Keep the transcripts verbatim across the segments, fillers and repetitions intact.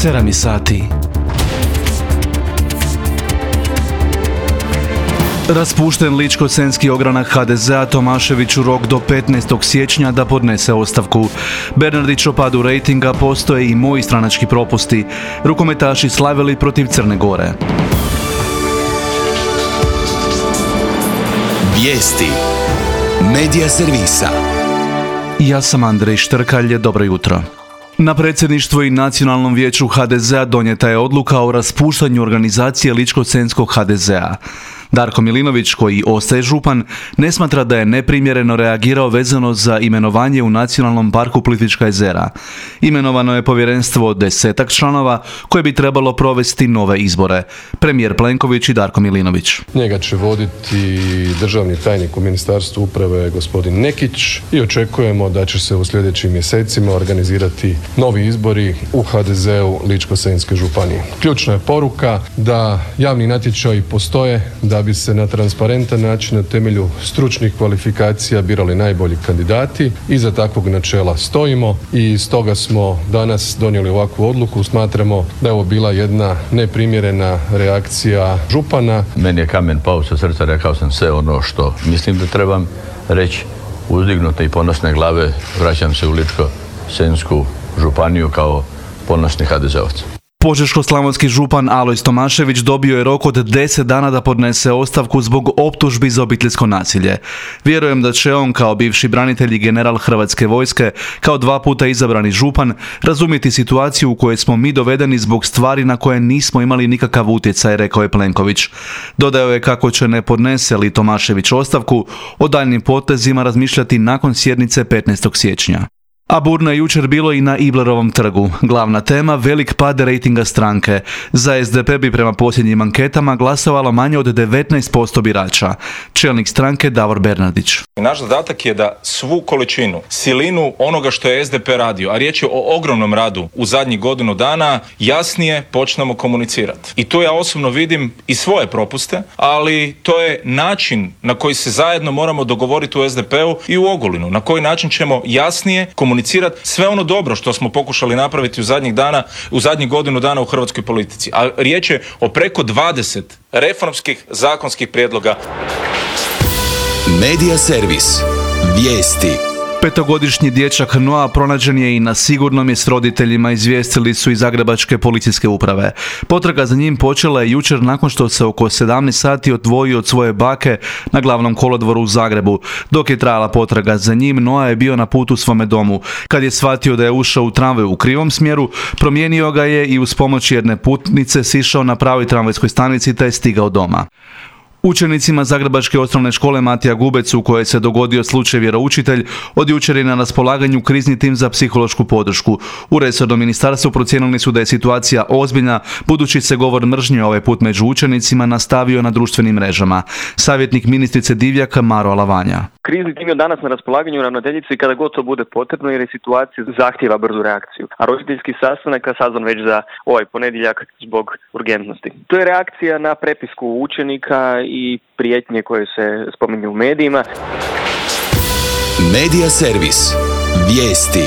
sedam sati. Raspušten Ličko-senjski ogranak ha de zea Tomaševiću rok do petnaestog siječnja da podnese ostavku. Bernardić o padu rejtinga, postoje i moji stranački propusti. Rukometaši slavili protiv Crne Gore. Vijesti Medija servisa. Ja sam Andrej Štrkalj, dobro jutro. Na predsjedništvu i Nacionalnom vijeću ha de zea donijeta je odluka o raspuštanju organizacije Ličko-senjskog ha de zea. Darko Milinović, koji ostaje župan, ne smatra da je neprimjereno reagirao vezano za imenovanje u Nacionalnom parku Plitvička jezera. Imenovano je povjerenstvo od desetak članova koje bi trebalo provesti nove izbore. Premijer Plenković i Darko Milinović. Njega će voditi državni tajnik u Ministarstvu uprave gospodin Nekić i očekujemo da će se u sljedećim mjesecima organizirati novi izbori u ha de zeu Ličko-senjske županije. Ključna je poruka da javni natječaji postoje, da bi se na transparentan način na temelju stručnih kvalifikacija birali najbolji kandidati. Iza takvog načela stojimo i stoga smo danas donijeli ovakvu odluku. Smatramo da je ovo bila jedna neprimjerena reakcija župana. Meni je kamen pao sa srca, rekao sam sve ono što mislim da trebam reći. Uzdignute i ponosne glave vraćam se u Ličko-senjsku županiju kao ponosni ha de zeovac. Požeško-slavonski župan Alojz Tomašević dobio je rok od deset dana da podnese ostavku zbog optužbi za obiteljsko nasilje. Vjerujem da će on, kao bivši branitelj i general Hrvatske vojske, kao dva puta izabrani župan, razumjeti situaciju u kojoj smo mi dovedeni zbog stvari na koje nismo imali nikakav utjecaj, rekao je Plenković. Dodao je kako će, ne podnese li Tomašević ostavku, o daljnim potezima razmišljati nakon sjednice petnaestog siječnja. A burno je jučer bilo i na Iblerovom trgu. Glavna tema, velik pad rejtinga stranke. Za es de pe bi prema posljednjim anketama glasovalo manje od devetnaest posto birača. Čelnik stranke Davor Bernardić. Naš zadatak je da svu količinu, silinu onoga što je es de pe radio, a riječ je o ogromnom radu u zadnjih godinu dana, jasnije počnemo komunicirati. I tu ja osobno vidim i svoje propuste, ali to je način na koji se zajedno moramo dogovoriti u es de pe-u i u Ogulinu. Na koji način ćemo jasnije komunicirati sve ono dobro što smo pokušali napraviti u zadnjih dana, u zadnjih godinu dana u hrvatskoj politici. A riječ je o preko dvadeset reformskih zakonskih prijedloga. Medija servis. Vijesti. Petogodišnji dječak Noa pronađen je i na sigurnom je s roditeljima, izvijestili su iz Zagrebačke policijske uprave. Potraga za njim počela je jučer nakon što se oko sedamnaest sati odvojio od svoje bake na glavnom kolodvoru u Zagrebu. Dok je trajala potraga za njim, Noa je bio na putu svome domu. Kad je shvatio da je ušao u tramvaj u krivom smjeru, promijenio ga je i uz pomoć jedne putnice sišao na pravoj tramvajskoj stanici te je stigao doma. Učenicima Zagrebačke osnovne škole Matija Gubec, u kojoj se dogodio slučaj vjeroučitelj, od jučer je na raspolaganju krizni tim za psihološku podršku. U resornom ministarstvu procijenili su da je situacija ozbiljna, budući se govor mržnje ovaj put među učenicima nastavio na društvenim mrežama. Savjetnik ministrice Divjaka Maro Alavanja. Krizni tim je danas na raspolaganju ravnateljici kada god to bude potrebno, jer je situacija zahtjeva brzu reakciju. A roditeljski sastanak je sazvan već za ovaj ponedjeljak zbog urgentnosti. To je reakcija na prepisku učenika i prijetnje koje se spominju u medijima. Medija servis. Vijesti.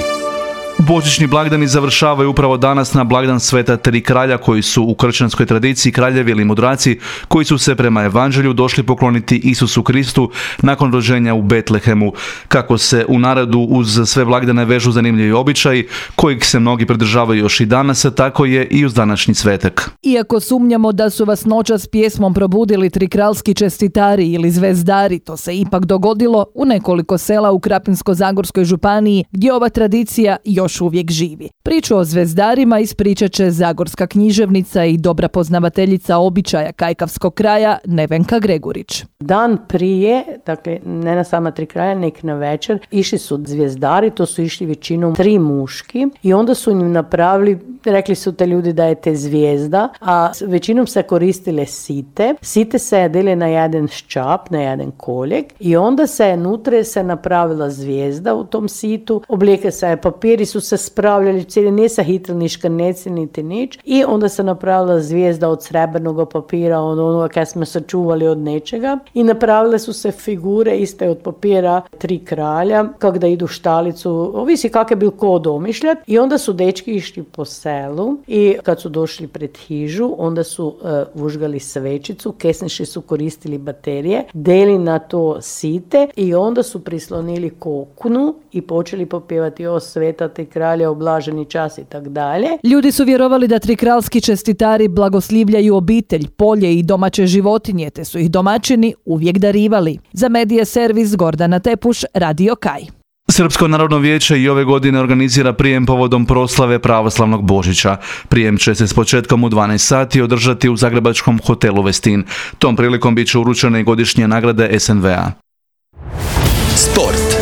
Božićni blagdani završavaju upravo danas na blagdan Sveta Tri kralja, koji su u kršćanskoj tradiciji kraljevi ili mudraci koji su se prema evanđelju došli pokloniti Isusu Kristu nakon rođenja u Betlehemu. Kako se u narodu uz sve blagdane vežu zanimljivi običaji kojih se mnogi pridržavaju još i danas, tako je i uz današnji svetak. Iako sumnjamo da su vas noćas pjesmom probudili trikralski čestitari ili zvezdari, to se ipak dogodilo u nekoliko sela u Krapinsko-zagorskoj županiji gdje ova tradicija još uvijek živi. Priču o zvezdarima ispričat će zagorska književnica i dobra poznavateljica običaja kajkavskog kraja Nevenka Gregurić. Dan prije, dakle ne na sama Tri kraja, nek na večer, išli su zvijezdari, to su išli većinom tri muški i onda su im napravili, rekli su te ljudi da je te zvijezda, a većinom se koristile site. Site se jedile na jedan ščap, na jedan koljeg i onda se nutre se napravila zvijezda u tom situ, oblijeke se papiri su se spravljali, cijeli nije se hitili ni škrneci, niti nič. I onda se napravila zvijezda od srebrnog papira, od onoga kad smo sačuvali od nečega. I napravile su se figure iste od papira tri kralja, kak da idu štalicu, ovisi kak je bil ko domišljat. I onda su dečki išli po selu i kad su došli pred hižu, onda su uh, užgali svečicu, kesniši su koristili baterije, deli na to site i onda su prislonili kokunu i počeli popjevati o sveta tri kralja, oblaženi čas i tak dalje. Ljudi su vjerovali da trikralski čestitari blagoslivljaju obitelj, polje i domaće životinje, te su ih domaćini uvijek darivali. Za Medija servis Gordana Tepuš, Radio Kaj. Srpsko narodno vijeće i ove godine organizira prijem povodom proslave pravoslavnog Božića. Prijem će se s početkom u dvanaest sati održati u zagrebačkom hotelu Westin. Tom prilikom bit će uručene i godišnje nagrade es en ve a. Sport.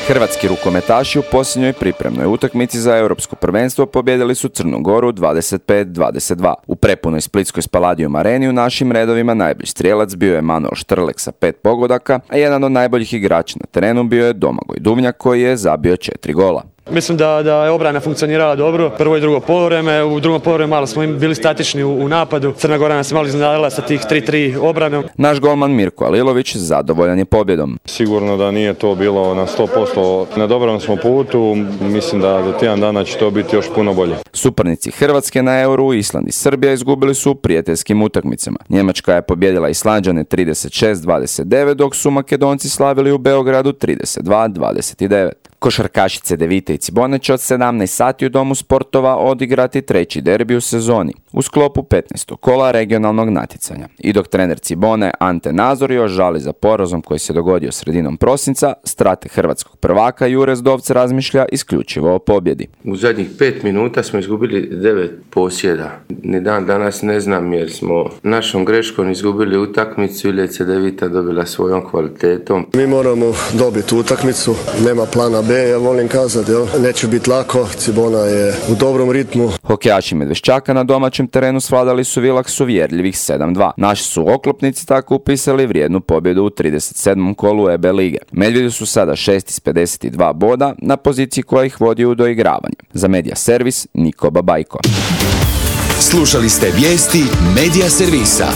Hrvatski rukometaši u posljednjoj pripremnoj utakmici za europsko prvenstvo pobijedili su Crnu Goru dvadeset pet dvadeset dva. U prepunoj splitskoj Spaladium areni u našim redovima najbolji strijelac bio je Manuel Štrlek sa pet pogodaka, a jedan od najboljih igrača na terenu bio je Domagoj Duvnjak koji je zabio četiri gola. Mislim da, da je obrana funkcionirala dobro, prvo i drugo poluvreme, u drugom poluvremenu malo smo bili statični u, u napadu, Crna Gora nas je malo iznenadila sa tih tri tri obranom. Naš golman Mirko Alilović zadovoljan je pobjedom. Sigurno da nije to bilo na sto posto, na dobrom smo putu, mislim da do tjedan dana će to biti još puno bolje. Suparnici Hrvatske na Euru, Island i Srbija izgubili su u prijateljskim utakmicama. Njemačka je pobjedila Islanđane trideset šest dvadeset devet, dok su Makedonci slavili u Beogradu trideset dva dvadeset devet. Košarkašice Devite i Cibone će od sedamnaest sati u Domu sportova odigrati treći derbi u sezoni u sklopu petnaestog kola regionalnog natjecanja. I dok trener Cibone Ante Nazor još žali za porazom koji se dogodio sredinom prosinca, strateg hrvatskog prvaka Jure Zdovc razmišlja isključivo o pobjedi. U zadnjih pet minuta smo izgubili devet posjeda. Ni dan danas ne znam jer smo našom greškom izgubili utakmicu ili je Cedevita dobila svojom kvalitetom. Mi moramo dobiti utakmicu, nema plana B, ja volim kazati, jel? Neće biti lako, Cibona je u dobrom ritmu. Hokejaši Medveščaka na domaćem terenu svladali su Vilaks uvjerljivih sedam dva. Naši su oklopnici tako upisali vrijednu pobjedu u trideset sedmom kolu E B lige. Medvjedi su sada šest iz pedeset dva boda na poziciji koja ih vodi u doigravanje. Za Medija servis Niko Babajko. Slušali ste vijesti Medija servisa.